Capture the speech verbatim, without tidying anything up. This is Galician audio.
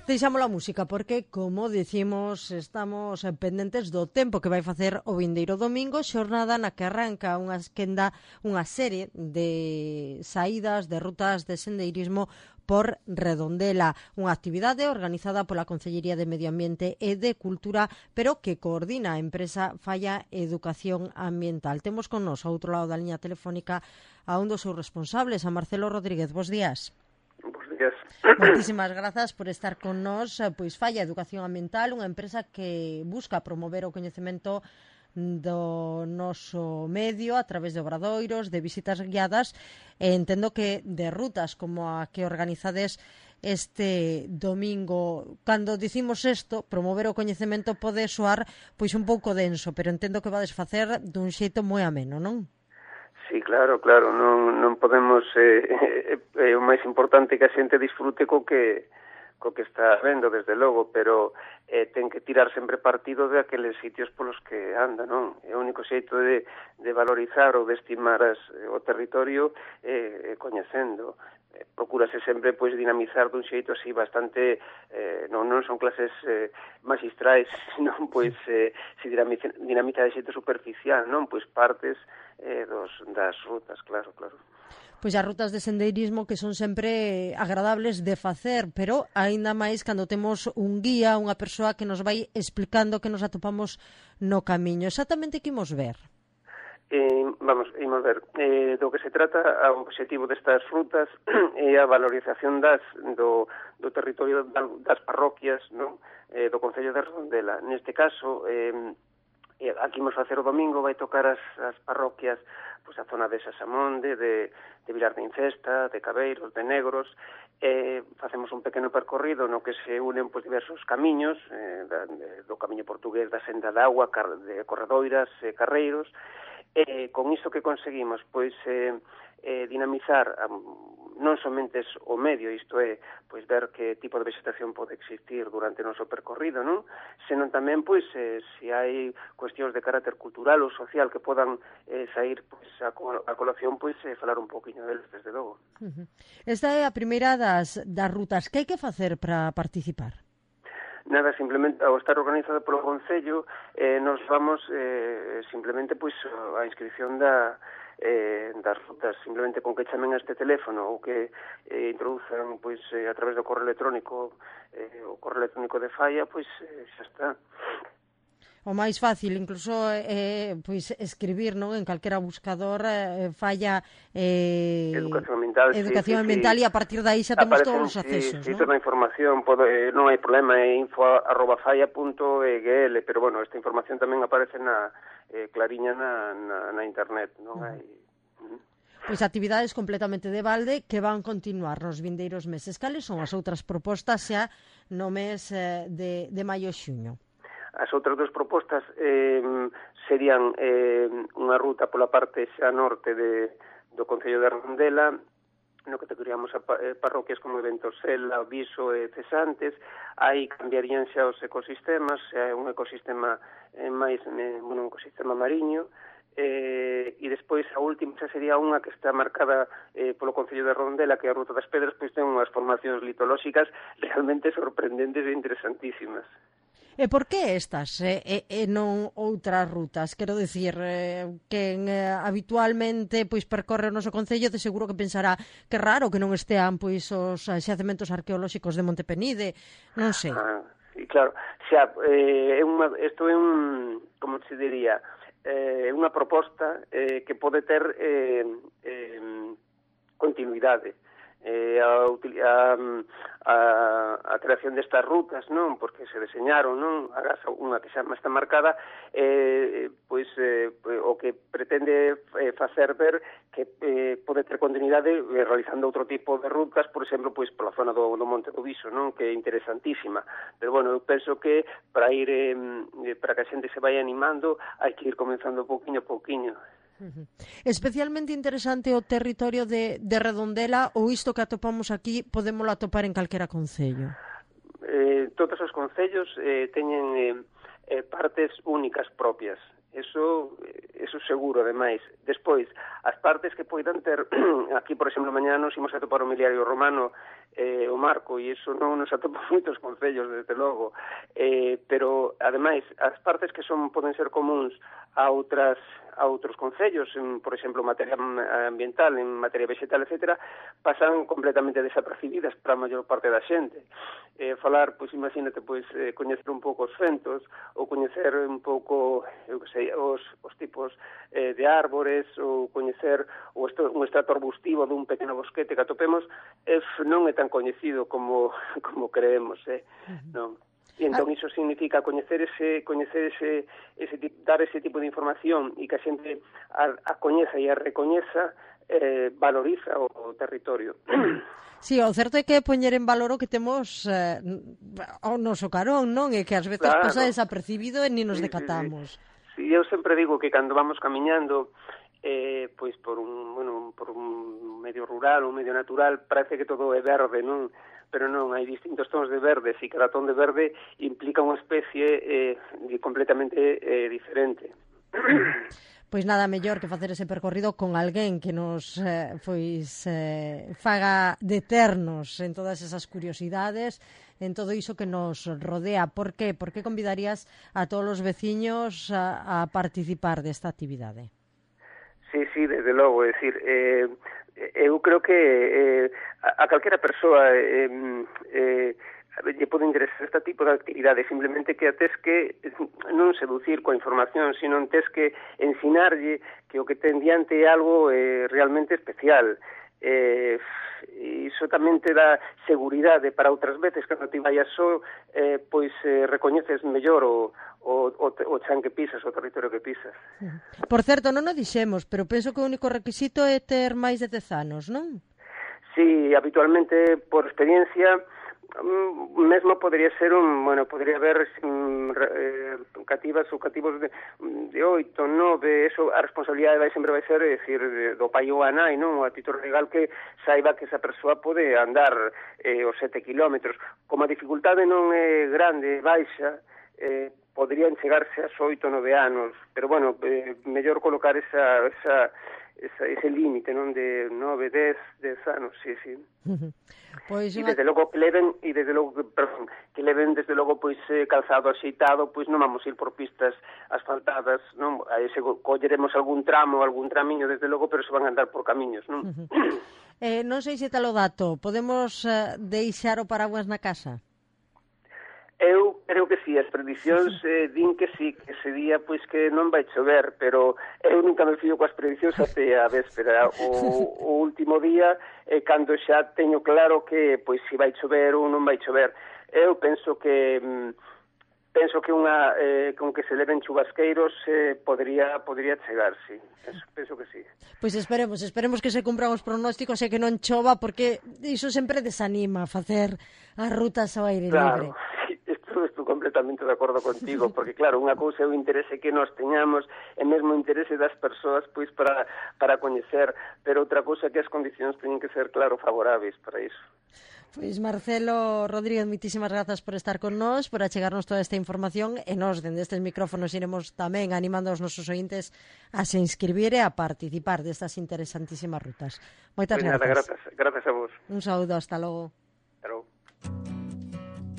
Deixamos a música porque, como dicimos, estamos pendentes do tempo que vai facer o vindeiro domingo, xornada na que arranca unha esquenda, unha serie de saídas, de rutas de sendeirismo por Redondela, unha actividade organizada pola Concellería de Medio Ambiente e de Cultura, pero que coordina a empresa Falla Educación Ambiental. Temos con nos, ao outro lado da liña telefónica, a un dos seus responsables, a Marcelo Rodríguez. Bos días. Moitísimas grazas por estar con nós. Pois Falla Educación Ambiental, unha empresa que busca promover o coñecemento do noso medio a través de obradoiros, de visitas guiadas, e entendo que de rutas como a que organizades este domingo. Cando dicimos isto, promover o coñecemento pode soar pois un pouco denso, pero entendo que vades facer dun xeito moi ameno, non? Sí, claro, claro, non, non podemos, eh, eh, o máis importante que a xente disfrute co que co que está vendo, desde logo, pero eh, ten que tirar sempre partido de aqueles sitios polos que anda, non? É o único xeito de, de valorizar ou de estimar as, o territorio eh, coñecendo. Eh, procúrase sempre pois dinamizar dun xeito así bastante, eh, non, non son clases eh, magistrais, senón pois eh, se dinamiza, dinamiza de xeito superficial, non? Pois partes eh, dos, das rutas, claro, claro. Pois as rutas de sendeirismo que son sempre agradables de facer, pero aínda máis cando temos un guía, unha persoa que nos vai explicando que nos atopamos no camiño. Exactamente que imos ver? Eh, vamos, imos ver, eh, do que se trata, o objetivo destas rutas é a valorización das, do, do territorio das parroquias, non? Eh, do Concello de Redondela. Neste caso, eh, aquí imos facer o domingo, vai tocar as, as parroquias, pois a zona de Sasamonde, de, de Vilar de Incesta, de Cabeiros, de Negros. Eh, facemos un pequeno percorrido no que se unen pois, diversos camiños, eh, da, de, do camiño portugués da Senda de Agua, car, de Corredoiras, eh, Carreiros. Eh, con isto que conseguimos, pois, eh, eh, dinamizar um, non somente o medio, isto é, pois ver que tipo de vegetación pode existir durante o noso percorrido, non? Senón tamén, pois, eh, se hai cuestións de carácter cultural ou social que podan eh, sair pois, a, a colación, pois, eh, falar un poquinho deles, desde logo. Uh-huh. Esta é a primeira das, das rutas. Que hai que facer para participar? Nada, simplemente, ao estar organizado polo Concello, eh, nos vamos eh, simplemente pois a inscripción da, eh, das rutas, simplemente con que chamen a este teléfono ou que eh, introduzan pois, eh, a través do correo electrónico, eh, o correo electrónico de Falla, pois eh, xa está. O máis fácil, incluso, eh, pois escribir, non, en calquera buscador, eh, Falla eh, Educación Ambiental, Educación sí, Ambiental sí, e a partir de aí xa temos aparecen, todos os accesos, sí, non? Sí, toda a información, pode, eh, non hai problema, é info arroba falla punto e ge ele, pero, bueno, esta información tamén aparece na eh, clariña na, na, na internet, non hai... Uh-huh. Pois actividades completamente de balde que van continuar nos vindeiros meses. Cales son as outras propostas xa no mes eh, de, de maio e xuño? As outras dos propostas eh, serían eh, unha ruta pola parte xa norte de, do Concello de Redondela, no que teríamos a parroquias como Ventosela, Viso e Cesantes. Aí cambiarían xa os ecosistemas, é un ecosistema eh, máis, eh, bueno, un ecosistema mariño, eh, e despois a última xa sería unha que está marcada eh, polo Concello de Redondela, que é a Ruta das Pedras, pois ten unhas formacións litolóxicas realmente sorprendentes e interesantísimas. E por que estas e, e, e non outras rutas? Quero dicir, eh, que eh, habitualmente pois percorre o noso concello, de seguro que pensará que raro que non estean pois os xacementos arqueolóxicos de Montepenide, non sei. Ah, sí, claro. Xa, eh, é unha, isto é un, como se diría, é eh, unha proposta eh, que pode ter eh, eh, continuidade. Eh, a, a, a, a creación destas rutas, non, porque se deseñaron, non, agás unha que xa está marcada, eh, pois eh, o que pretende eh, facer ver que eh, pode ter continuidade eh, realizando outro tipo de rutas, por exemplo, pois pola zona do, do Monte do Viso, non, que é interesantísima. Pero bueno, eu penso que para ir eh, para que a xente se vaya animando, hai que ir comenzando pouquiño a pouquiño. Uh-huh. Especialmente interesante o territorio de, de Redondela, ou isto que atopamos aquí podémolo atopar en calquera concello? Eh, todos os concellos eh, teñen eh, eh, partes únicas propias. Eso, eso seguro, ademais. Despois, as partes que poidan ter, aquí, por exemplo, mañá nos imos a topar o miliario romano eh, o marco, e iso non nos atopa moitos concellos, desde logo, eh, pero, ademais, as partes que son poden ser comuns a outras a outros concellos, en, por exemplo, en materia ambiental, en materia vegetal, etcétera, pasan completamente desapercibidas para a maior parte da xente. Eh, falar, pois, imagínate, pois, eh, coñecer un pouco os fentos, ou coñecer un pouco, eu que sei, os, os tipos eh, de árbores, ou coñecer o esto, un estrato arbustivo dun pequeno bosquete que atopemos, eh, non é tan coñecido como, como creemos, eh? Uh-huh. Non. E entón iso significa coñecer ese, coñecer ese, ese dar ese tipo de información e que a xente a, a coñeza e a recoñeza, eh, valoriza o, o territorio. Sí, o certo é que poñer en valor o que temos eh, ao noso carón, non? E que ás veces claro. Pasa desapercibido e ni nos sí, decatamos. Sí, sí. Sí, eu sempre digo que cando vamos camiñando eh, pois por un, bueno, por un medio rural, un medio natural, parece que todo é verde, non? Pero non, hai distintos tons de verde, e cada ton de verde implica unha especie eh, completamente eh, diferente. Pois nada mellor que facer ese percorrido con alguén que nos eh, pois eh, faga deternos en todas esas curiosidades, en todo iso que nos rodea. Por que? Por que convidarías a todos os veciños a, a participar desta actividade? Sí, sí, desde logo, é dicir, eh, eu creo que eh, a, a calquera persoa eh, eh, lle pode interesar este tipo de actividade, simplemente que a tes que non seducir coa información, sino tes que ensinarlle que o que ten diante é algo eh, realmente especial. Eh, iso tamén te dá seguridade para outras veces cando ti vayas só, eh, pois eh, recoñeces mellor o, o, o, o chan que pisas, o territorio que pisas. Por certo, non o dixemos, pero penso que o único requisito é ter máis de dez anos, non? Sí, habitualmente, por experiencia, mesmo podría ser un, bueno, podría haber um, eh, cativas ou cativos de, de oito, nove, eso, a responsabilidade vai sempre vai ser, é dicir, do pai ou a nai, non? A título legal que saiba que esa persoa pode andar eh, os sete kilómetros. Como a dificultade non é grande, baixa, eh, podrían chegarse aos oito, nove anos, pero bueno, eh, mellor colocar esa, esa, esa ese límite, non, de nove, dez, dez anos, sí, sí. Uh-huh. Pois e desde logo que leven e desde logo que, perdón, que leven desde logo pois eh, calzado axeitado, pois non vamos ir por pistas asfaltadas, non? Aí se colleremos algún tramo, algún tramiño desde logo, pero se van a andar por camiños, non? Uh-huh. eh, non sei se tal o dato, podemos uh, deixar o paraguas na casa? Eu creo que sí, as predicións eh, din que sí, que ese día pois que non vai chover, pero eu nunca me fío coas predicións até a véspera. O, o último día, eh, cando xa teño claro que pois si vai chover ou non vai chover. Eu penso que mm, penso que unha eh, con que se leven chubasqueiros eh, podría podría chegar, sí. Penso, penso que sí. Pois esperemos, esperemos que se cumpran os pronósticos e que non chova, porque iso sempre desanima facer as rutas ao aire claro. libre. Estou completamente de acordo contigo, porque claro, unha cousa é o interese que nos teñamos e mesmo o interese das persoas pois para, para coñecer, pero outra cousa é que as condicións teñen que ser, claro, favoráveis para iso. Pois Marcelo Rodríguez, moitísimas grazas por estar con nós, por achegarnos toda esta información, e nós, dende estes micrófonos, iremos tamén animando aos nosos ointes a se inscribir e a participar destas interesantísimas rutas. Moitas pues grazas. Nada, grazas. Grazas a vos. Un saúdo, hasta logo. Hasta logo.